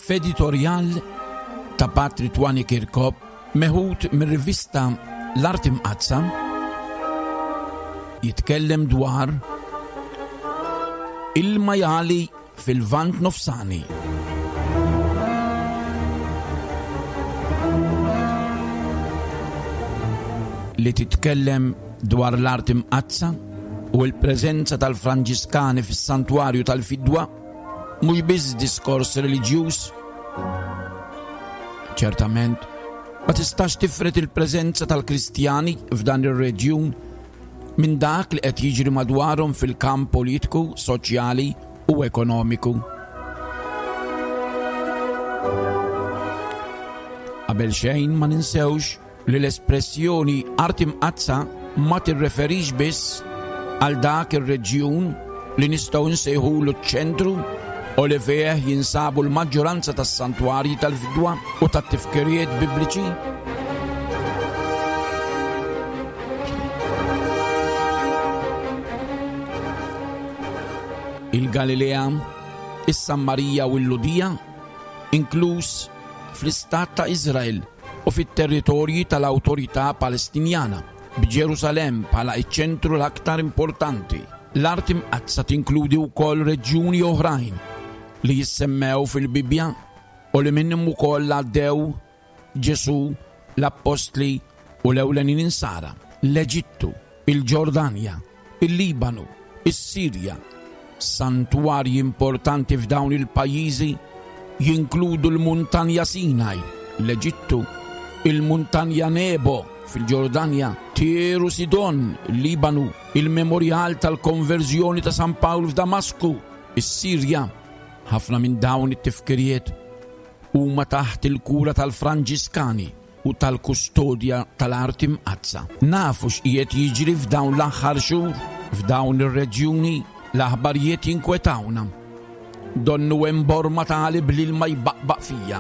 F'editorjal ta' Patri Twani Kirkop meħud mir-rivista L-Art Imqaddsa jitkellem dwar il-majali fil-Lvant Nofsani. Li titkellem dwar l-Art Imqaddsa u l-preżenza tal-Franġiskani fis-Santwarju tal-Fidwa mhux biss diskors reliġjuż. Ċertament, ma tistax tifred il-preżenza tal-Kristjani f'dan ir-reġjun minn dak li qed jiġri madwarhom fil-kamp politiku, soċjali u ekonomiku. Qabel xejn ma ninsewx li l-espressjoni Art Imqaddsa ma tirreferix biss għal dak ir-reġjun li nistgħu nsejħulu ċ-ċentru u li fih jinsabu l-maġġoranza tas-santwarji tal-fidwa u tat-tifkiriet bibliċi. Il-Galilea, is-Sammarija u l-Ludija, inkluż fl-Istat ta' Iżrael u fit-territorji tal-Awtorità Palestinjana, b'Ġerusalemm bħala ċ-ċentru l-aktar importanti. L-Art Imqaddsa tinkludi wkoll reġjuni oħrajn li jissemmew fil-Bibbja u li minnhom ukoll għaddew Ġesù, l-appostli u l-ewlenin Insara, l-Eġittu, il-Ġordanja, il-Libanu, is-Sirja. Santwarji importanti f'dawn il-pajjiżi jinkludu l-Muntanja Sinaj, l-Eġittu, il-Muntanja Nebo fil-Ġordanja, Tir u Sidon, il-Libanu, il-Memorjal tal-Konverżjoni ta' San Pawl f'Damasku, is-Sirja. Ħafna minn dawn it-tifkiriet huma taħt il-kura tal-Franġiskani u tal-kustodja tal-Art Imqaddsa. Nafu x'qiegħed jiġri f'dawn l-aħħar xhur f'dawn ir-reġjuni, l-aħbarijiet jinkwetawna. Donnu hemm borma ta' qalib l-ilma jbaqbaq fija.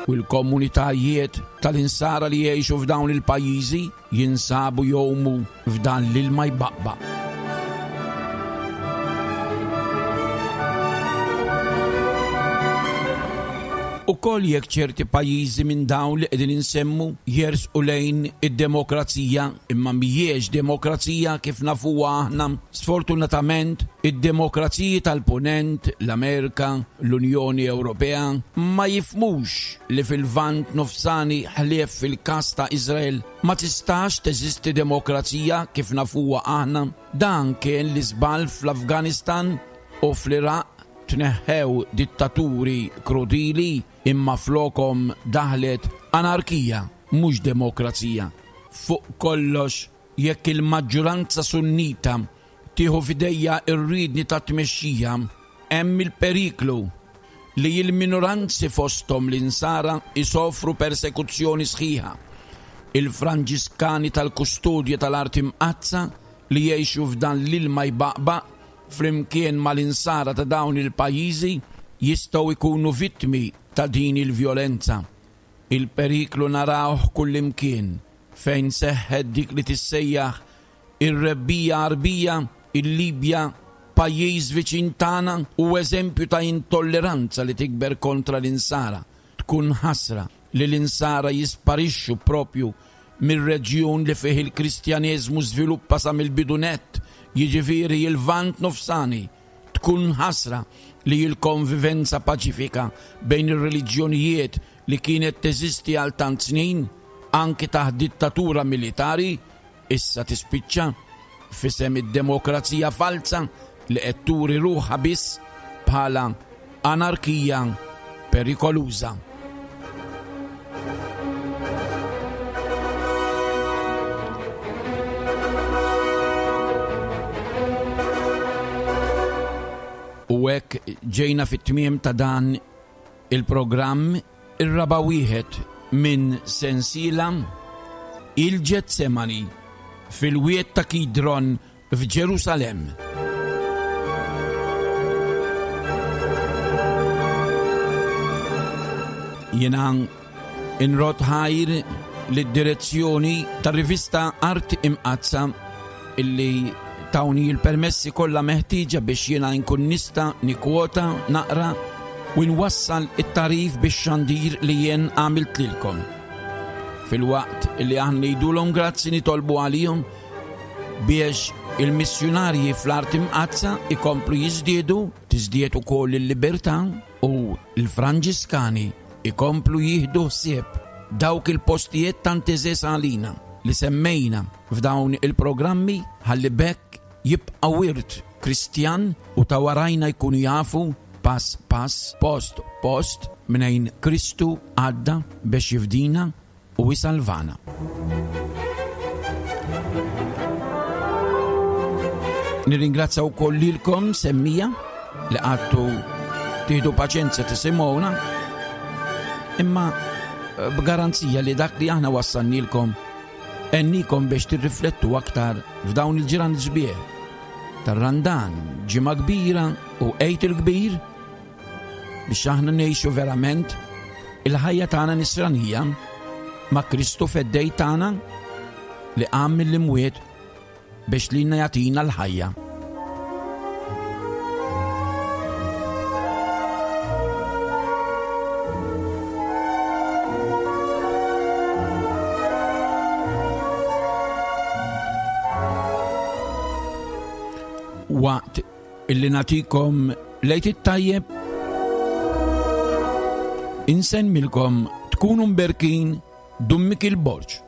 U l-komunitajiet tal-insara li jgħixu f'dawn il-pajjiżi jinsabu jgħumu f'dan l-ilma jbaqbaq. Ukoll jekk ċerti pajjiżi minn dawn li qegħdin insemmu jersqu lejn id-demokrazija, imma mhijiex demokrazija kif nafuha aħna. Sfortunatament, id-demokraziji tal-Punent, l-Amerika, l-Unjoni Ewropea, ma jifhmux li fil-Lvant Nofsani ħlief fil-każ ta' Iżrael Ma tistax teżisti demokrazija kif nafuha aħna. Dan kien l-iżball fl-Afganistan u fl-Iraq, tneħħew dittaturi krudili imma flokhom daħlet anarkija mhux demokrazija. Fuq kollox jekk il-maġġuranza Sunnita tieħu f'idejha r-riedni tat-tmexxija, hemm il-periklu li l-minoranzi fosthom l-Insara jsofru persekuzzjoni sħiħa. Il-Franġiskani tal-Kustodja tal-Art Imqaddsa li jgħixu f'dan l-ilma jbaqbaq flimkien mal-Insara ta' dawn il-pajjiżi jistgħu jkunu vittmi ta' din il-vjolenza. Il-periklu narawh kullimkien fejn seħħet dik li tissejjaħ Ir-Rebbiegħa Għarbija, il-Libja, pajjiż viċin tagħna, hu eżempju ta' intolleranza li tikber kontra l-Insara. Tkun ħasra li l-Insara jisparixxu proprju mir-reġjun li fih il-Kristjaneżmu żviluppa sa mill-bidu nett, jiġifieri l-Lvant Nofsani. Tkun ħasra li l-konvivenza paċifika bejn ir-reliġjonijiet li kienet teżisti għal tant snin, anki taħt dittatura militari, issa tispiċċa f'isem id-demokrazija falza li qed turi ruħha biss bħala anarkija perikoluża. U hekk ġejna fit-tmiem ta' dan il-programm Ir-raba' wieħed minn sensiela, Il-Ġetsemani, fil-Wied ta' Kidron f'Ġerusalemm. Jiena nrodd ħajr lid-direzzjoni tar-rivista Art Imqaddsa illi tawni l-permessi kollha meħtieġa biex jiena nkun nista' nikkwota, naqra. u nwassal it-tagħrif bix-xandir li jien għamilt lilkom. Filwaqt li aħna ngħidulhom grazzi nitolbu għalihom biex il-missjunarji fl-art imqaddsa ikomplu jiżdiedu, tiżdied ukoll il-libertà u l-Franġiskani ikomplu jieħdu ħsieb dawk il-postijiet tant għeżież għalina li semmejna f'dawn il-programmi ħalli b'hekk jibqa' wirt Kristjan u ta' warajna jkunu jafu pass pass, post post mnejn Kristu għadda biex jifdina u jsalvana. Nirringrazzja wkoll lilkom semmija li għadtu tieħdu paċenzja tisimgħuna imma eh, b'garanzija li dak li aħna wassannilkom ennikom biex tirriflettu aktar f'dawn il-ġran sbieħ tar-Randan, ġimgħa kbira u Għid il-Kbir biex aħna ngħixu verament il-ħajja tagħna nisranija ma' Kristu feddej tagħna li qam mill-imwiet biex lilna jagħtina l-ħajja. Waqt illi nagħtikom lejt it-tajjeb insemmilkom tkunu mberkin Dun Mikil Borg.